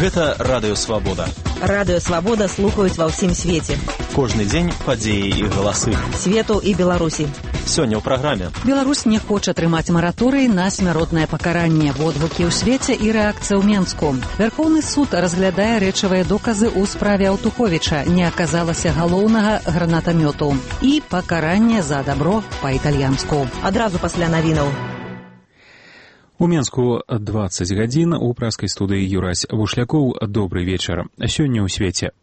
Гэта Радыё Свабода. Радыё Свабода слухаюць ва ўсім свеце. Кожны дзень падзеі і галасы. Свету і Беларусі. Сёння ў праграме. Беларусь не хоча трымаць мараторый на смяротнае пакаранне. Водгукі ў свеце і рэакцыя ў Менску. Вярхоўны суд разглядае рэчавыя доказы ў справе Аўтуховіча. Не аказалася галоўнага гранатамёту. І пакаранне за дабро па-італьянску. Адразу пасля навінаў. У Менску 20 гадзін, у праскай студыі Юрась Вушлякоў. Добрый вечар. Сёння ў свеце.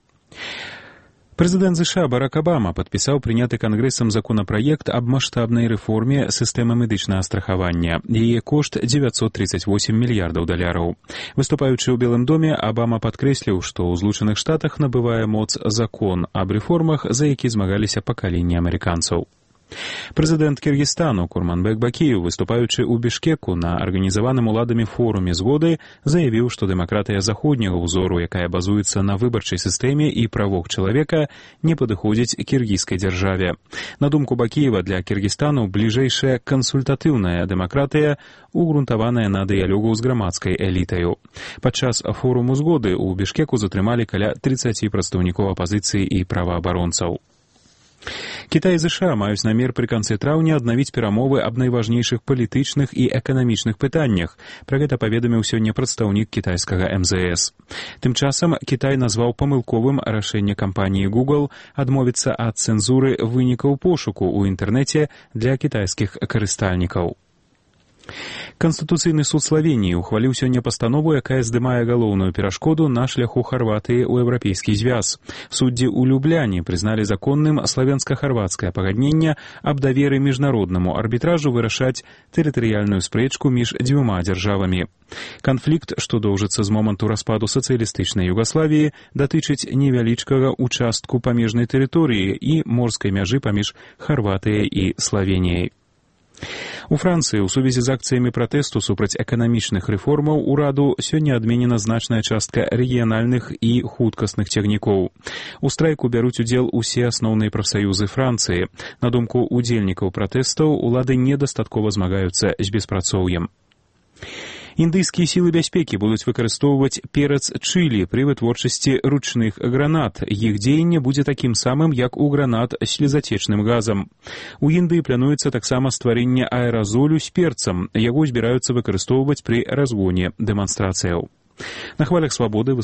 Прэзідэнт США Барак Абама падпісаў прыняты кангрэсам законапраект аб маштабнай рэформе сістэмы медычнага страхавання. Яе кошт 938 мільярдаў даляраў. Выступаючы ў Белым доме, Абама падкрэсліў, што ў Злучаных Штатах набывае моц закон аб рэформах, за які змагаліся пакаленні амерыканцаў. Прэзідэнт Кіргізстану Курманбек Бакіев, выступаючы ў Бішкеку на арганізаваным уладамі форуме згоды, заявіў, што дэмакратыя заходняга ўзору, якая базуецца на выбарчай сістэме і правах чалавека, не падыходзіць кіргізскай дзяржаве. На думку Бакіева, для Кіргізстану бліжэйшая кансультатыўная дэмакратыя, угрунтаваная на дыялогу з грамадскай элітаю. Падчас форуму згоды ў Бішкеку затрымалі каля 30 прадстаўнікоў апазіцыі і праваабаронцаў. Кітай і ЗША маюць намер пры канцы траўня аднавіць перамовы аб найважнейшых палітычных і эканамічных пытаннях. Пра гэта паведаміў сёння прадстаўнік кітайскага МЗС. Тым часам Кітай назваў памылковым рашэнне кампаніі Google адмовіцца ад цэнзуры вынікаў пошуку ў інтэрнэце для кітайскіх карыстальнікаў. Канстытуцыйны суд Славеніі ухваліў сёння пастанову, якая здымае галоўную перашкоду на шляху Харватыі ў еўрапейскі звяз. Суддзі ў Любляне прызналі законным славенска-харвацкае пагадненне аб даверы міжнароднаму арбітражу вырашаць тэрытарыяльную спрэчку між дзвюма дзяржавамі. Канфлікт, што доўжыцца з моманту распаду сацыялістычнай Югаславіі, датычыць невялічкага участку памежнай тэрыторыі і морскай мяжы паміж Харватыяй і Славеніяй. У Францыі ў сувязі з акцыямі пратэсту супраць эканамічных рэформаў ураду сёння адменена значная частка рэгіянальных і хуткасных цягнікоў. У страйку бяруць удзел усе асноўныя прафсаюзы Францыі. На думку удзельнікаў пратэстаў, улады недастаткова змагаюцца з беспрацоўем. Індыйскія сілы бяспекі будуць выкарыстоўваць перац чылі пры вытворчасці ручных гранат. Іх дзеянне будзе такім самым, як у гранат з слезацечным газам. У Індыі плануецца таксама стварэнне аэразолю з перцам. Яго збіраюцца выкарыстоўваць пры разгоне дэманстрацыяў. На хвалях Свабоды